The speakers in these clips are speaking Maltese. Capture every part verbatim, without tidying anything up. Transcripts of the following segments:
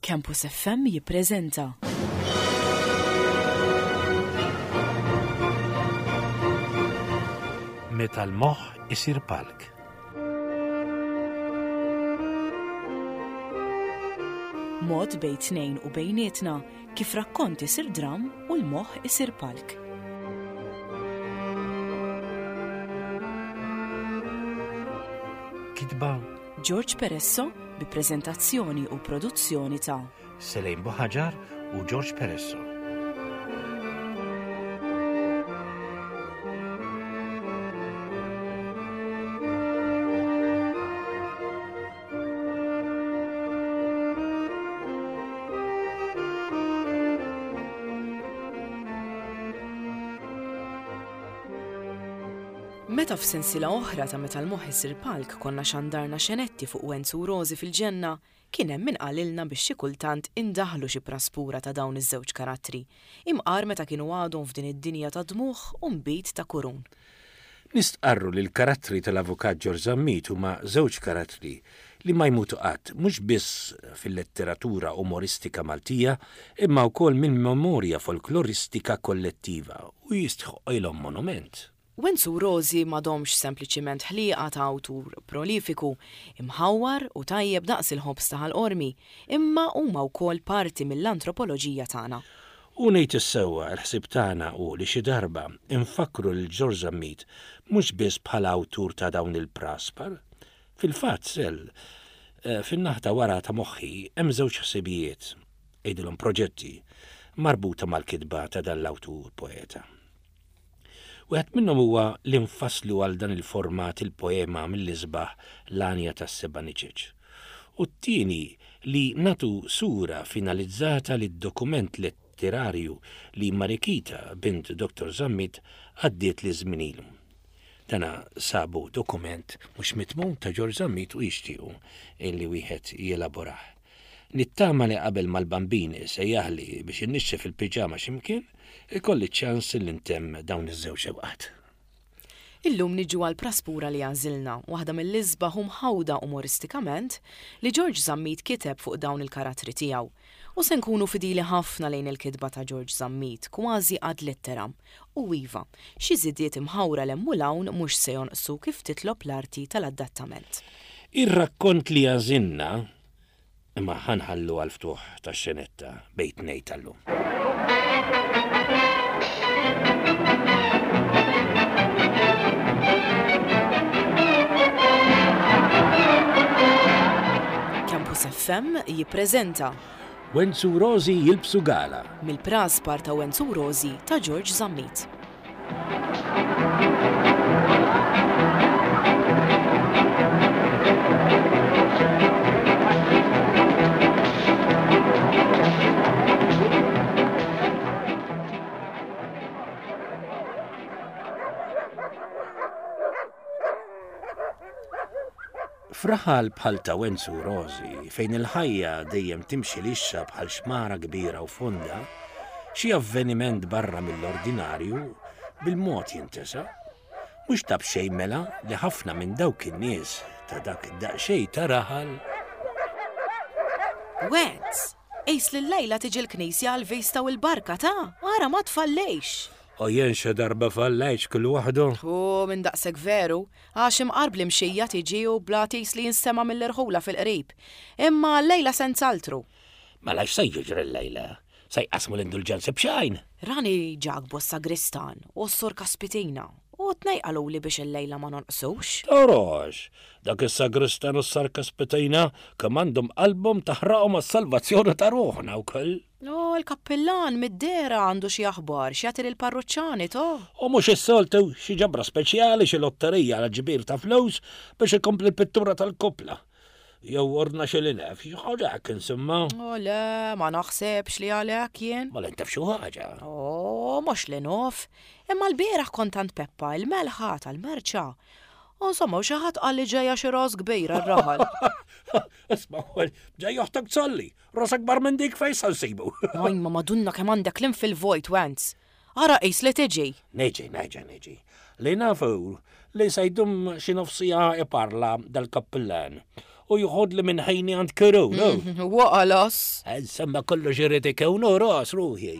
Campus F M jippreżenta Meta l-moħħ isir palk. Mod bejn tnejn u bejnietna kif rakkont isir dram u l-moħħ isir palk. Kitba George Peresso bi preżentazzjoni u produzzjoni ta' Selejn Buħaġar u George Peresso. Meta f'sensiela oħra ta' Meta l-moħħ isir palk konna xandarna xenetti fuq Wenzu u Rożi fil-ġenna, kien hemm min qalilna biex xi kultant indaħlu xi praspura ta' dawn iż-żewġ karattri, imqar meta kienu għadhom f'din id-dinja ta' dmugħ u nbid ta' kurun. Nistqarru li l-karattri tal-avukat George Zammit huma żewġ karattri li ma jmutu qatt, mhux biss fil-letteratura umoristika Maltija, imma wkoll mill-memorja folkloristika kollettiva u jistħoqilhom monument. Wenzu u Rożi m'għadhomx sempliċiment ħlieqa ta' awtur prolifiku, imħawwar u tajjeb daqs il-ħobż ta' Ħal Qormi, imma huma wkoll parti mill-antropoloġija tagħna. U ngħid is-sewwa, il-ħsieb tagħna hu li xi darba nfakkru lil George Zammit mhux biss bħala awtur ta' dawn il-praspar. Fil-fatt, sel, eh, fin-naħa ta' wara ta' moħħi hemm żewġ ħsibijiet, għidilhom proġetti, marbuta mal-kitba ta' dan l-awtur poeta. Wieħed minnhom huwa li nfasslu għal dan il-format il-poema mill-isbaħ L-Għanja tas-Seba' Niċeċ. U t-tieni li nagħtu sura finalizzata lid-dokument letterarju li Marikita, bint Doktor Zammit, għaddiet li żmien ilu. Dana sabu dokument mhux mitmum ta' George Zammit u jixtiequ illi wieħed jelaborah. Nittama li qabel mal-bambin sejjaħli biex innixxef il-piġama x'imkien, ikolli ċans li ntemm dawn iż-żewġ xewqat. Illum niġu għal praspura li għażilna, waħda mill-isbaħ u mħawda umoristikament li George Zammit kiteb fuq dawn il-karattri tiegħu. U se nkunu fidili ħafna lejn il-kitba ta' George Zammit, kważi ad litteram. U iva, xi żidiet imħawra 'l hemm u 'l hawn mhux se jonqsu kif titlob l-arti tal-adattament. Ir-rakkont li għażilna imma ħa nħallu għal-ftuħ tax-xenetta bejn tnejn tal-lum. Campus F M jippreżenta Wenzu u Rożi jilbsu gala. Mill-praspar ta' Wenzu u Rożi ta' George Zammit. F'raħal bħal ta' Wenzu u Rożi, fejn il-ħajja dejjem timxi lixxa bħal xmara kbira u fonda, xi avveniment barra mill-ordinarju bil-mod jintesa. Mhux ta' b'xejn mela li ħafna minn dawk in-nies ta' dak id-daqsxejn ta' raħal Wenz, qis li llejla tiġi l-knisja għal-vista u l-barka ta' ara ma tfallejx. U jien xi darba fallejx kull waħdu. U minn daqsek veru, għax imqar bl-imxija tiġi u blatis li jinstema' mill-irħula fil-qrib. Imma llejla senz'altru. Mela x'se jiġri llejla? Se jqasmu l-indulġenzi b'xejn? Rani Ġakbu s-sagristan u s-sur Kaspitina u t-tnejn qaluli biex il-lejla ma nonqsux. Torox, dak is-sagristan u s-sur Kaspitina kemm għandhom qalbhom taħraqhom għas-salvazzjoni ta' ruħna wkoll. No, il-kappillan mid-dehra għandu xi aħbar x'jagħti lill-parruċċani to. U mhux is-soltu xi ġabra speċjali, xi lotterija għal ġbir ta' flus biex ikompli l-pittura tal-kopla. Jew ordna xi linef, xi ħaġa hekk insomma. O le, ma naħsebx li għalhekk jien. Ma l taf xi ħaġa. O, mhux li nof. Imma l-bieraħ kont għand Peppa il-melħa tal-merċa. U insomma, u xi ħadd qal li ġejja xi ras kbira r-raħal. Isma' ġej oħtok tsolli, ras akbar minn dik fejn sa nsibu? Oj, ma madunna kemm għandek kliem fil-vojt, Wenz. Ara qis li tiġi. Neġi, neġi, neġi. Li nafu li se jdum xi nofs siegħa iparla dal-kappillan. u joħodli minn ħajni għand Keru, no? Waqalas. Insomma kollox irid ikun u ras ruħi.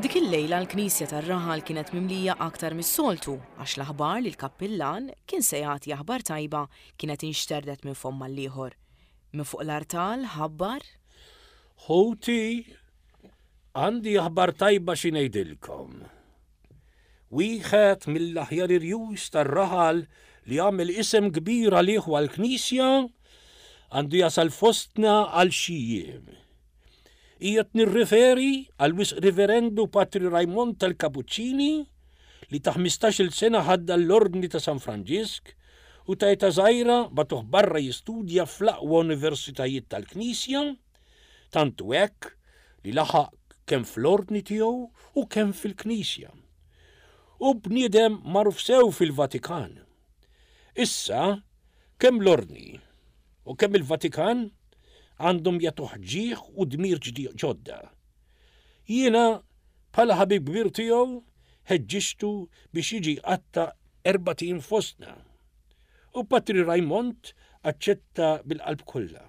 Dik il-lejla l-knisja tar-raħal kienet mimlija aktar mis-soltu għax l-aħbar li l-kappillan kien se jagħti aħbar tajba kienet inxterdet minn fomm għall-ieħor. Minn fuq l-artal ħabbar Ħuti, għandi aħbar tajba xi ngħidilkom. Wieħed mill-aħjar irjus tar-raħal li għamel isem kbir għalih u għall-knisja għandu jasal fostna għal xi jiem. Qiegħed nirriferi għal wisq Riverendu Patri Raymond tal-Kapuċċini li ta' ħmistax-il sena ħadda l-Ordni ta' San Franġisk u ta' età żgħira bagħtuh barra jistudja fl-aqwa universitajiet tal-Knisja, tant hu hekk li laħaq kemm fl-ordni tiegħu u kemm fil-Knisja. U bniedem magħruf sew fil-Vatikan. Issa, kemm l-ordni u kemm il-Vatikan għandhom jagħtuh ġieħ u dmir ġdi-, ġodda. Jiena, bħala ħabib kbir tiegħu, ħeġġixtu biex jiġi jqatta' erbat ijiem fostna. U Patri Raymond aċċetta bil-qalb kollha.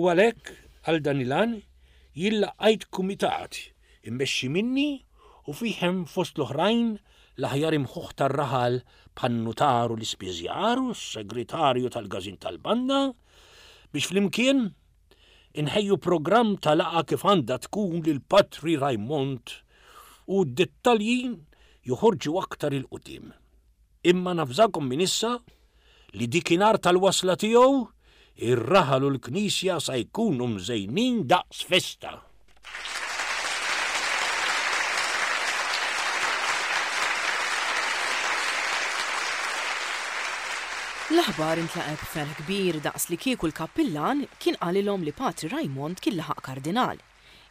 U għalhekk għal dan il-għan jien laqajt kumitat immexxi minni u fih hemm fost l-oħrajn l-aħjar imħuħ tar-raħal bħan-nutar u l-ispiżjar u s-segretarju tal-każin tal-banda biex flimkien inħejju programm ta' laqgħa kif għandha tkun lil Patri Raymond u d-dettalji joħorġu aktar il-qudiem. Imma nafżakom minn issa li dikinhar tal-wasla tiegħu ir-raħal u l-knisja sa jkunu mżejnin daqs festa. L-aħbar intlaqgħet b'ferħ kbir daqs li kieku l-kappillan kien qalilhom li Patri Raymond kien laħaq kardinal.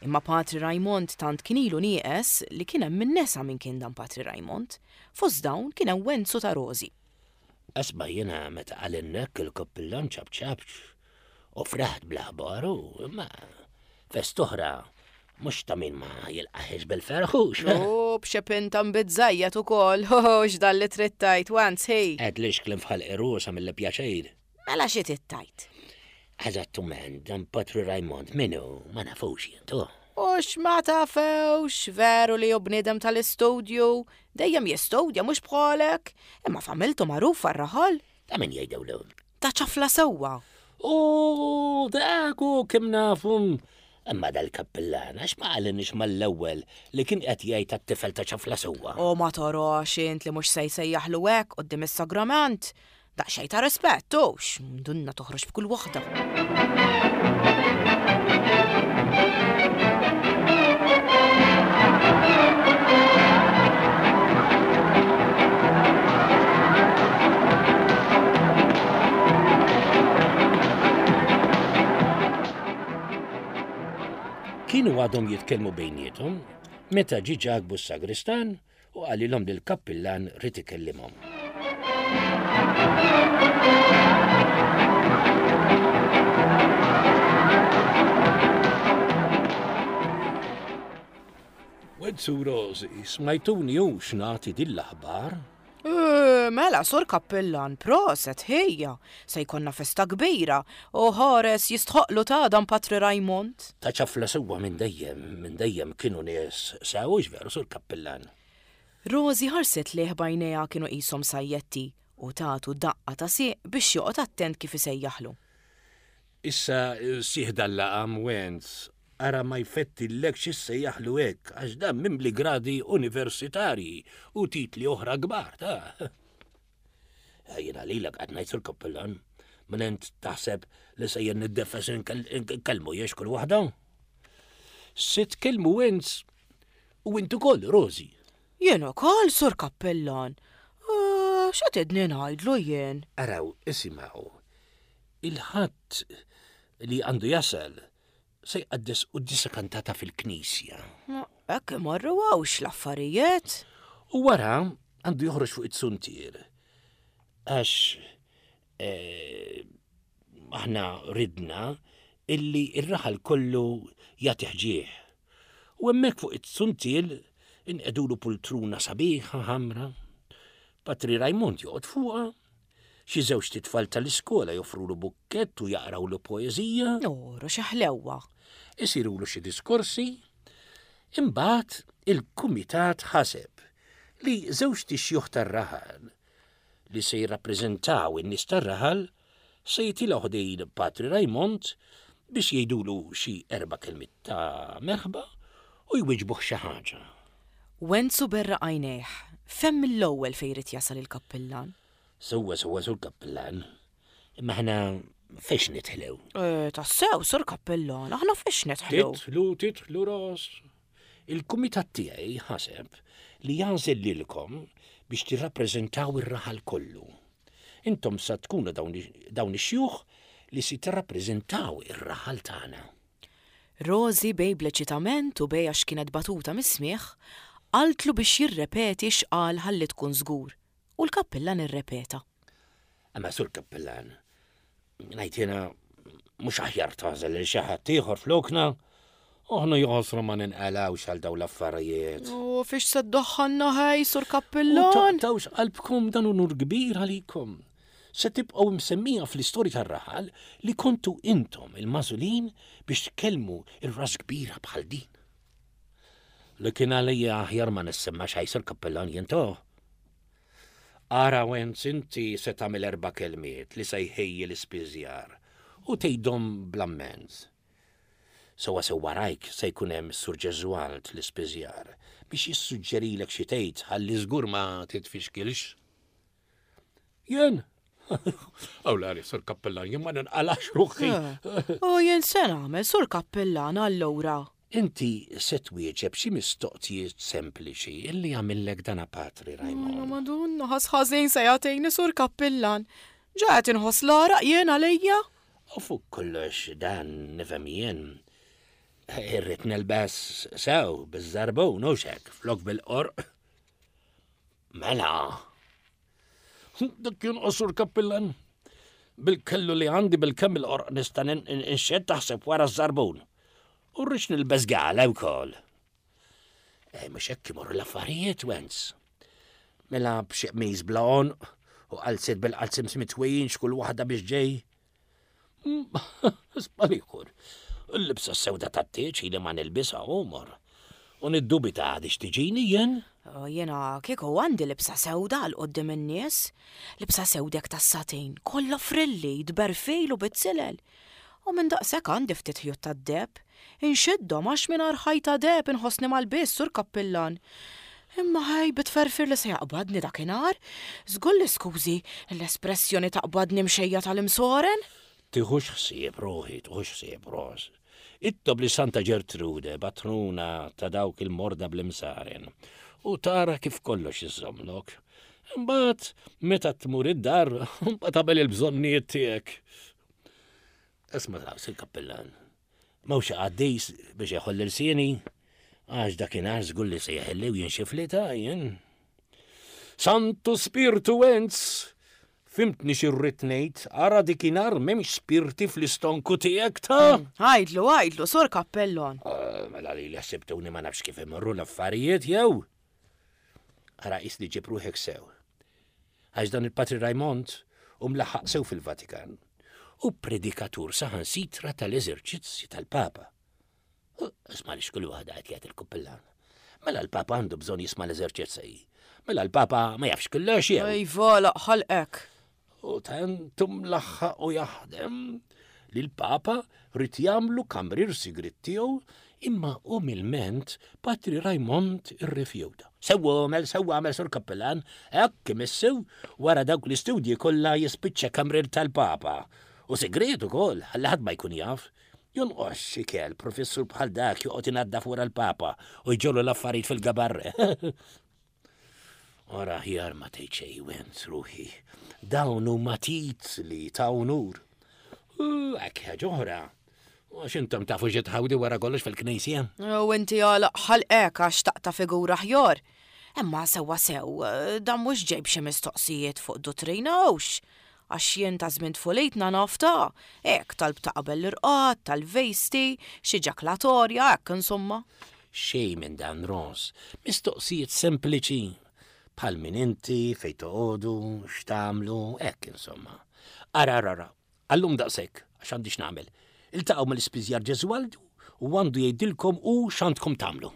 Imma Patri Raymond tant kien ilu nieqes li kien hemm min nesa min kien dan Patri Raymond. Fost dawn kien hemm Wenzu ta' Rosi. Asma jiena meta qalilnek il-kappillan ċabċabx u fraħt bl-aħbar u imma fest oħra mhux ta' min ma jilqaħiex bil-ferħux. U b'xi pinta mbiżżejjed ukoll, ho, ho, x'dan li trid tgħid, Wenz, ħej. Għedlix kliem f'ħalq irusa mill-pjaċir. Mela xi trid tgħid? Eżattament, dan Patri Raymond minnu ma nafux jien, tu. U x'ma tafewx, veru li hu bniedem tal-istudju, dejjem jistudja mhux bħalek, imma familtu magħrufa r-raħal. Ta' min jgħidewlu? Ta' ċafla sewwa. U dak hu kemm nafhom. Imma dal-kappillan għax ma qalinix mal-ewwel li kien qed jgħid tat-tifel ta' ċafla sewwa. U ma torox int li mhux se jsejjaħlu hekk quddiem is-sagrament. Daqsxejn ta' rispett, hux, dunna toħroġ b'kull waħda. Kienu għadhom jitkellmu bejniethom meta ġie Ġakbu s-sagristan u qalilhom li l-kappillan ried ikellimhom. Wenzu Rosi, smajtuni u x'nagħti din l-aħbar? Eh, mela, sur kappillan, proset, ħejja, se jkollna festa kbira u ħares jistħoqlu ta' dan Patri Raymond. Ta' ċafla sewwa minn dejjem, minn dejjem kienu nies sewwix veru, sur kappillan. Rosi ħarset lejh b'għajnejha kienu qishom sajjetti u tatu daqqa ta' sieq biex joqgħod attent kif isejjaħlu. Issa sieħ dal-laqam Wenz, ara ma jfettillekx issejjaħlu hekk għax dan mimli gradi universitarji u titli oħra kbar, ta'. Jiena lilek qed ngħid sur kappillan, minn int taħseb li sejjer niddefes inkellmu jiex kull waħda? Se tkellmu Wenz u int ukoll, Rosi. Jien ukoll, sur kappillan. Ah, x'qed idni ngħidlu jien? Araw, isimgħu. Il-Ħadd li għandu jasal se jqaddes quddiesa kantata fil-knisja. Hekk imorru għawx l-affarijiet. U wara għandu joħroġ fuq it-suntier. Għax eh, aħna ridna illi ir-raħal kollu jagħti ħġieħ. U hemmhekk fuq it-suntier inqegħdulu pultruna sabiħa ħamra. Patri Raymond joqgħod fuqha. Xi żewġt itfal tal-iskola joffrulu bukkett u jaqrawlu poeżija. Oru xi ħlewwa. Isirulu xi diskorsi. Imbagħad il-kumitat ħaseb li żewġt ixjuħ tar-raħal li se jirrappreżentaw in-nies tar-raħal se jitilgħu ħdejn Patri Raymond biex jgħidulu xi erba' kelmiet ta' merħba u jwiġbuh xi ħaġa. Wenzu berraq għajnejh, fehem mill-ewwel fejn irid jasal il-kappillan. Sewwa sewwa sur kappillan, imma aħna fiex nidħlu? Eh, tassew, sur kappillan, aħna fiex nidħlu? Tidħlu, tidħlu ros. Il-kumitat tiegħi ħaseb li jagħżel lilkom biex tirrappreżentaw ir-raħal kollu. Intom sa tkunu dawn dawn ix-xjuħ li se tirrappreżentaw ir-raħal tagħna. Rosi bej bl-eċitament u bej għax kienet batuta mis-smigħ, qaltlu biex jirrepeti x'qal ħalli tkun żgur. U l-kappillan irrepeta. Imma sur kappillan, ngħid jiena mhux aħjar tagħżel lil xi ħadd ieħor flokna, aħna jaħasra ma ninqalgħux għal dawn l-affarijiet. U fiex se ddaħħalna ħej, sur U kappillan? taqtgħux qalbkom dan unur kbir għalikom. Se tibqgħu msemmija fl-istorja tar-raħal li kontu intom il-magħżulin biex tkellmu ir-ras kbira bħal din. Li kien għalija aħjar ma nissemma xejn sur kappillan jien to. Ara Wenz inti se tagħmel erba' kelmiet li se jħejji l-ispiżjar u tgħidhom bl-ammens. Sewwa sew warajk se jkun hemm Sur Ġeżwald l-ispiżjar biex jissuġġerilek xi tgħid ħalli żgur ma titfixkilx. Jien? Aw la, sur kappellan, jien ma ninqalax ruħi. U jien se nagħmel sur kappillan allura. Inti se twieġeb xi mistoqsijiet sempliċi illi jagħmillek dana Patri Madonna, Raymond. Madonna, ħas ħażin se jagħtini sur kappillan. Ġa qed inħoss l-għaraq jien għalija. U fuq kollox dan nifhem jien. Irrid nilbes sew biż-żarbun u xek flok bil-qorq. Mela. Dak kien qosur kappillan. Bil-kellu li għandi bil-kemm il-qorq nista' nxedd taħseb wara ż-żarbun. U rridx nilbes gala wkoll. Eh, mhux hekk imorru l-affarijiet, Wenz. Mela b'xi qmis bla għonq u qalziet bil-qalziet mitwijin x'kull waħda biex ġej. Spalikur. Il-libsa sewda tat-tieġ ili ma nilbisha għomor. U niddubita għadix tiġini jien. O, Jiena kieku għandi libsa sewda għal quddiem in-nies. Libsa sewdek tas-satin, kollha frilli, tberfil u bit-silel. U minn daqshekk għandi ftit ħjut tad-deheb. Inxiddhom għax mingħajr ħajta deheb inħossni mal-biss sur kappillan. Imma ħaj bitferfir li se jaqbadni dakinhar, żgur li skużi l-espressjoni taqbadni mxejja tal-imsoren. Tiħux ħsieb ruħi, tiħux ħsieb ros. Itlob lil Santa Ġertrude, patruna ta' dawk il-morda bl-imsaren, u tara kif kollox iżommlok. Imbagħad meta tmur id-dar, mbagħad tagħmel il-bżonnijiet tiegħek. Isma' taqs il-kappellan. Mhux qaddis biex jeħoll ilsieni, għax dakinhar żgur li se jeħilli u jinxifli ta' jien. Santu Spirtu Wenz! Fhimtni x'irrid ngħid, ara dakinhar m'hemmx spirti fl-istonku tiegħek ta' Għidlu, għidlu, sur kappellon. Ah, Mela li li ħsibtuni ma nafx kif imorru l-affarijiet jew. Ara qis li ġib ruħek sew. Għax dan il-Patri Raymond u mlaħħaq sew fil-Vatikan u predikatur saħansitra tal-eżerċizzi tal-Papa. Isma' li xkull waħda qed jgħid il-kappillan. Mela l-Papa għandu bżonn jisma' l-eżerċizzi. Mela l-Papa ma jafx kollox jew. Iva, ħalqek. U tantum laħħaq u jaħdem li l-Papa ried jagħmlu kamrir sigrit tiegħu imma umilment Patri Raymond irrifjuta. Sewwa għamel, sewwa għamel sur kappellan, hekk imissu wara dawk l-istudji kollha jispiċċa kamrir tal-Papa. U sigriet ukoll, ħalli ħadd ma jkun jaf. Jonqos xi kell professur bħal dak joqgħod inaddaf wara l-Papa u jġollu l-affarijiet fil-gabarre. Ora aħjar ma tgħid xejn Wenz ruħi. Dawn huma titli ta' unur. U hekk ħaġa oħra. Għax intom tafu xi tħawdu wara kollox fil-knisja. U inti għalaq ħalqek għax taqta' figura ħjor. Imma sewwa sew, dan mhux ġej b'xi mistoqsijiet fuq duttrina hux. Għax jien ta' żmien tfulitna naf ta' hekk talb ta' qabel l-irqad, tal-vejsti, xi ġaklatorja, hekk insomma. Xejn minn dan Ros, mistoqsijiet sempliċi. Bħal min inti, fejn toqogħdu, x'tagħmlu, hekk insomma. Ara, ara, ara, għallum daqshekk, għax għandi x'nagħmel. Iltaqgħu mal-ispiżjar Ġeżwaldu u għandu jgħidilkom u x'għandkom tagħmlu.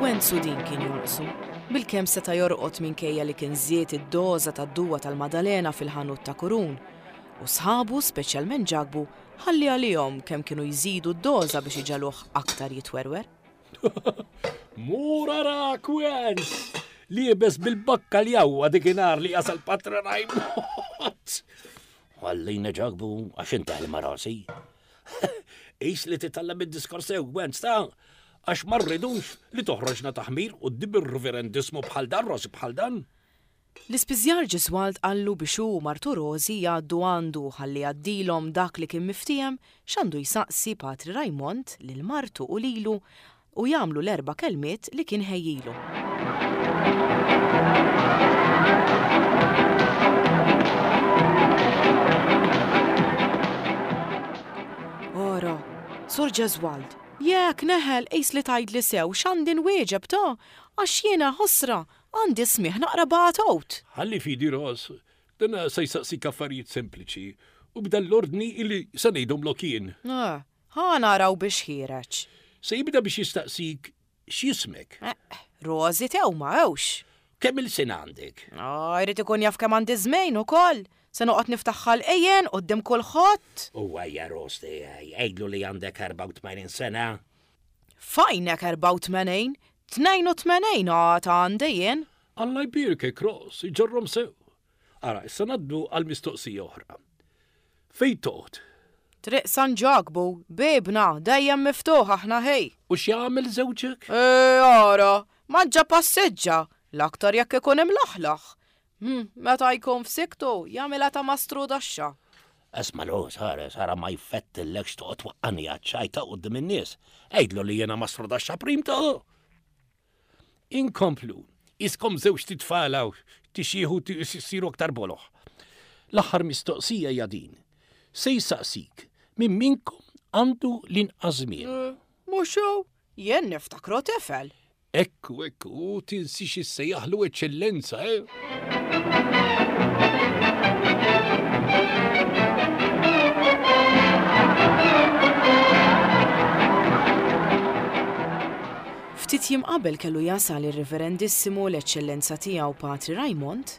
Wenzu din kien jonqsu. Bilkemm seta' jorqod minkejja li kien żied id-doża tad-duwa tal-Madalena fil-ħanut ta' Kurun. U sħabu, speċjalment Ġakbu, ħalli għalihom kemm kienu jżidu d-doża biex iġaluh aktar jitwerwer. Mur arak, Wenz! Liebes bil-bakkaljaw dikinhar li jasal Patri Rajmond. Ħallina Ġakbu, għax inti ħelma rasi. Qis li titgħallem id-diskors sew, Wenz, ta' għax ma rridux li toħroġna taħmir u d ir-reverendismu bħal dan, Rosi bħal dan. L-ispiżjar Ġiswald qallu biex hu u martu Rosi jgħaddu għandu ħalli jgħaddilhom dak li kien miftiehem x'għandu jsaqsi Patri Rajmond lil martu u lilu u jagħmlu l-erba' kelmiet li kien ħejjilu. Ora, Sur Ġeżwald, jekk neħel qis li tgħidli sew x'għandi nwieġeb ta' għax jiena ħosra għandi smigħ naqra bagħtut. Ħalli fidi Ros, dan se jsaqsik affarijiet sempliċi u b'dan l-ordni illi se ngħidhomlok jien. Eh, ħa naraw biex ħiereġ. Se jibda biex jistaqsik x'jismek. Eh, Rosi tew ma hewx. Kemm il-sena għandek? Ah, jrid ikun jaf kemm għandi żmien ukoll. Se noqgħod niftaħ ħalqejjen quddiem kulħadd. U għajja Ros tiegħi, għidlu li għandek erbgħa u tmenin sena. Fajnek erbgħa u tmenin, tnejn u tmenin għad għandi jien. Alla jbierkek Ros, iġorrom sew. Ara, issa ngħaddu għal mistoqsija oħra. Fejn toqgħod? Triq San Ġakbu, bibna, dejjem miftuħ aħna ħej. U x'jagħmel żewġek? E, ara, manġa passeġġa, l-aktar jekk ikun imlaħlaħ. Hmm, meta jkun f'siktu, jagħmilha ta' mastru daxxa. Isma' Ros, ħares, ara ma jfettillekx toqgħod twaqqani għaċ-ċajta quddiem in-nies. Għidlu li jiena mastru daxxa prim ta'. Inkomplu, iskom żewġ titfal hawn, tixieħu siru aktar boloħ. L-aħħar mistoqsija hija din. Se jsaqsik min minkom għandu l-inqas żmien. Eh, mhux hu, jien niftakru tifel. Ekku, ekku, tinsix issejjaħlu eċċellenza, eh? Ftit jiem qabel kellu jasal ir-Reverendissimu l-Eċċellenza tiegħu Patri Rajmond,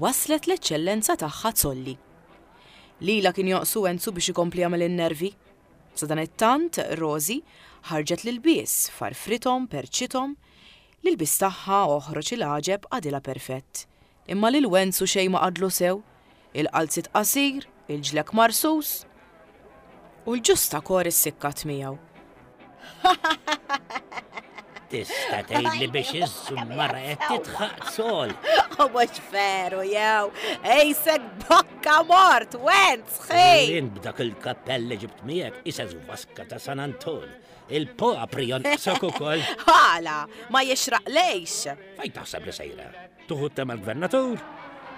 waslet l-Eċċellenza tagħha Zolli. Lila kien joqsu Enzu biex ikompli jagħmel in-nervi. Sadanittant Rosi ħarġet l-ilbies, farfrithom, perċithom, l-ilbies tagħha oħroġ il-għaġeb għadilha perfett. Imma lil Wenzu xejn ma qadlu sew, il-qalzit qasir, il-ġlek marsus u l-ġusta kor issikkat miegħu. Tista' tgħidli biex iż-żummara qed titħaq sol. U mhux veru jew, ejsek bokka mort, Wenz, ħej! Jien b'dak il-kappell li ġibt miegħek isez vaska ta' San Anton. Il-popri jonqsok ukoll. Ħala, ma jixraq lejx. Fejn taħseb li sejra? Tuħu tema l-gvernatur?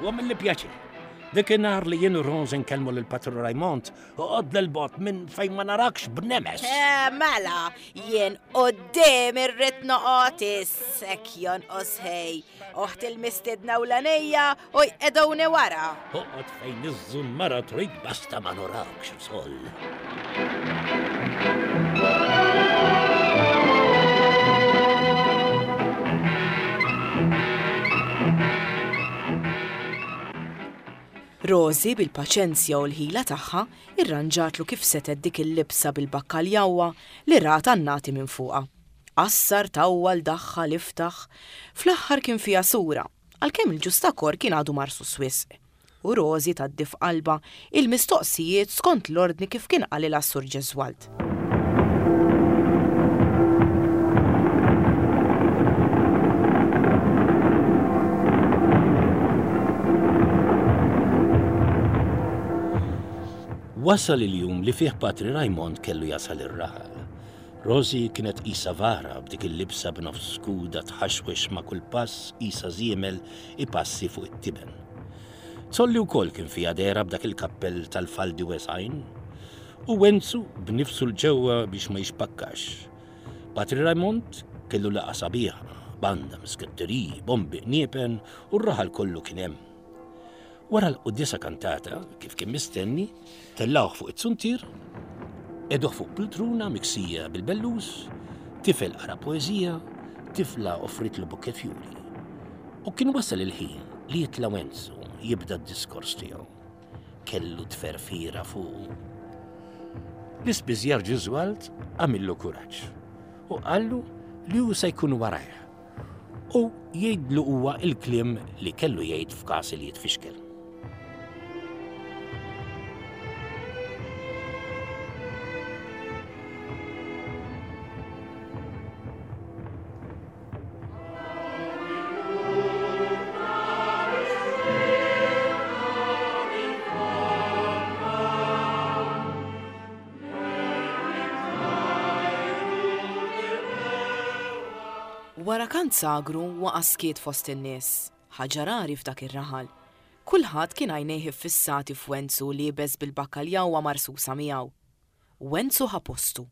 U għamilli pjaċir. Dik in-nhar li jien u Rose nkellmu lil Patri Rajmond, uqgħod lil bot minn fejn ma narakx b'nemes. Eh, mela, jien quddiem irrid noqgħod issek jonqos ħej. Oħt il-mistiedna u l-għanija u jqeduni wara. Oqgħod fejn iż-żummara trid basta ma norakx sol. Rosi bil-paċenzja u l-ħila tagħha irranġatlu kif setet dik il-libsa bil-bakkaljawwa li rat għannati minn fuqha. Qassar, tawwal, daħħal, iftaħ, fl-aħħar kien fiha sura, għalkemm il-ġustakor kien għadu marsu wisq. U Rosi tgħaddi f'qalba il-mistoqsijiet skont l-ordni kif kien qalilha s-Sur Ġeżwald. Wasal il-jum li fih Patri Raymond kellu jasal ir-raħal. Rosie kienet qisha vara b'dik il-libsa b'nofs skuda tħaxwex ma' kull pass qisha żiemel ipassi fuq it-tiben. Zolli wkoll kien fiha dehra b'dak il-kappell tal-faldi wesgħin. U Wenzu b'nifsu 'l ġewwa biex ma jixpakkax. Patri Raymond kellu laqgħa sabiħa, banda, misketteriji, bombi, qniepen u r-raħal kollu kien hemm. Wara l-quddiesa kantata, kif kien mistenni, tellgħuh fuq it-suntier, qegħduh fuq pultruna miksija bil-bellus, tifel qara poeżija, tifla offritlu bukkett fjuri. U kien wasal il-ħin li jitla' Wenzu jibda d-diskors tiegħu. Kellu tferfira fuqu. L-ispiżjar Ġiżwald għamillu kuraġġ u qallu li hu se jkun warajh u jgħidlu huwa il-kliem li kellu jgħid f'każ li jitfixkel. Wara kant sagru waqa' skiet fost in-nies, ħaġa rari f'dak ir-raħal. Kulħadd kien għajnejh iffissati f'Wenzu liebes bil-bakkaljawwa marsusa miegħu. Wenzu ħa postu.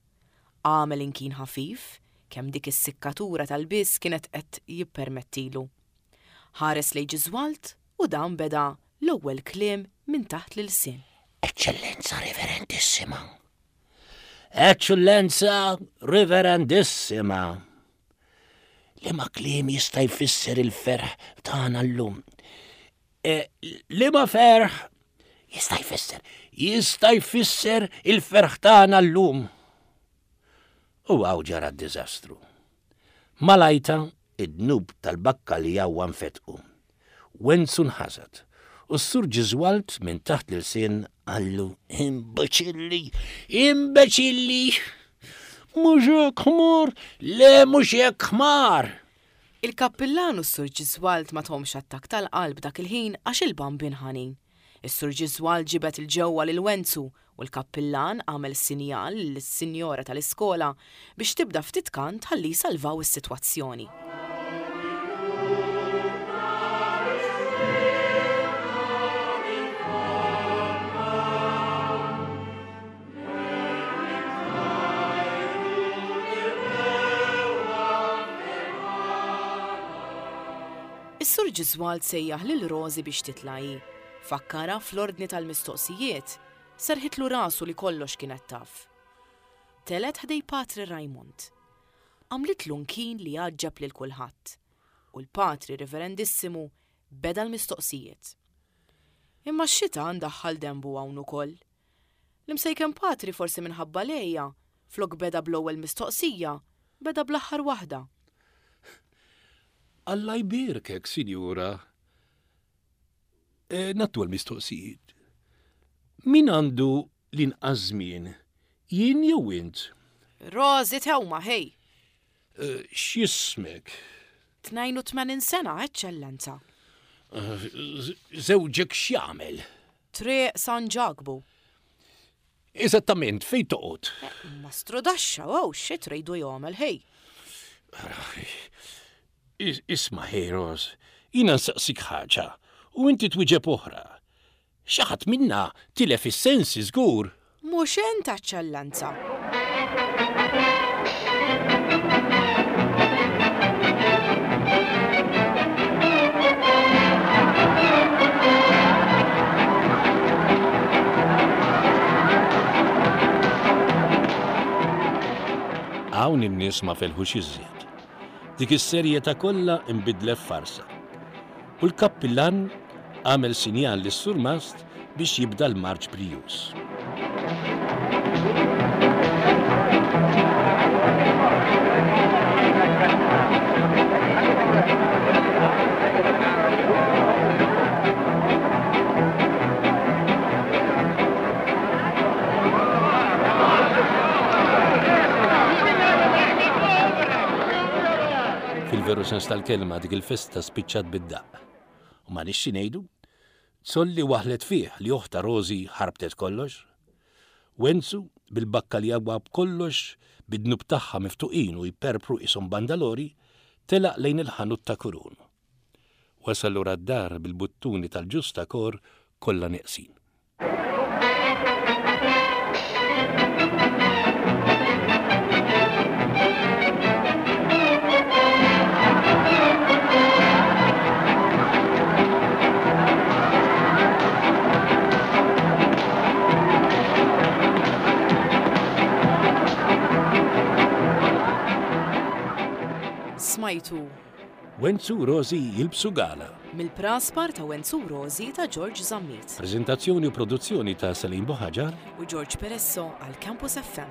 Għamel inkin ħafif, kemm dik is-sikkatura tal-biss kienet qed jippermettilu. Ħares lejn Ġiżwald u dan beda l-ewwel kliem minn taħt l-ilsien. Eċċellenza Reverendissima. Eċċellenza Reverendissima. Liema kliem jista' jfisser il-ferħ tagħna llum? E, liema ferħ jista' jfisser? Jista' jfisser il-ferħ tagħna llum. U hawn ġara d-diżastru. Malajta id-dnub tal-bakkaljawwa nfetqu. Wenzu nħasad u s-Sur Ġiżwald minn taħt l-ilsien qallu imbeċilli, imbeċilli! Mhux hekk ħmar, le mhux hekk ħmar! Il-kappillan u s-Sur Ġiżwald ma tahomx attakk tal-qalb dak il-ħin għax il-Bambin ħanin. Is-Sur Ġiżwald ġibed 'il ġewwa lil Wenzu u l-kappillan għamel sinjal lis-sinjora tal-iskola biex tibda ftit kant ħalli jsalvaw is-sitwazzjoni. Is-Sur Ġiżwald sejjaħ lil Rosie biex titla' hi. Fakkarha fl-ordni tal-mistoqsijiet, serħitlu rasu li kollox kienet taf. Telgħet ħdej Patri Raymond. Għamlitlu nkin li għaġġeb lil kulħadd u l-Patri Reverendissimu beda l-mistoqsijiet. Imma x-xita ndaħħal dembu hawn ukoll. L-imsejken Patri forsi minħabba lejja, flok beda bl-ewwel mistoqsija, beda bl-aħħar waħda. Alla jbierkek, sinjura. E, nattu l-mistoqsijiet. Min għandu l-inqas żmien? Jien jew int? Rosie tewma, ħej. E, x'jismek? Tnejn u tmenin sena, eċċellenza. Żewġek x'jagħmel? Triq San Ġakbu. Eżattament, fejn toqgħod? Mastru daxxa, wow, xi tridu jagħmel, ħej. Isma' ħej, Ros, jiena nsaqsik ħaġa u inti twieġeb oħra. Xi ħadd minna tilef is-sensi żgur. Mhux int, eċċellenza. Hawn in-nies ma felħux iżjed. Dik is-serjetà kollha inbidlet f'farsa. U l-kappillan għamel sinjal lis-surmast biex jibda l-marċ brijuż. Fil-veru sens tal-kelma dik il-festa spiċċat bid-daqq. U ma nixxi ngħidu, Zolli waħlet fih li oħta Rosie ħarbtet kollox. Wenzu, bil-bakkaljawa b'kollox, bid-dnub tagħha miftuqin u jperpru qishom bandalori, telaq lejn il-ħanut ta' Kurun. Wasal lura d-dar bil-buttuni tal-ġustakor kollha neqsin. Smajtu Wenzu u Rożi jilbsu gala. Mill-Praspar ta' Wenzu u Rożi ta' George Zammit. Preżentazzjoni u produzzjoni ta' Celine Buhaġar u George Peresso għal Campus F M.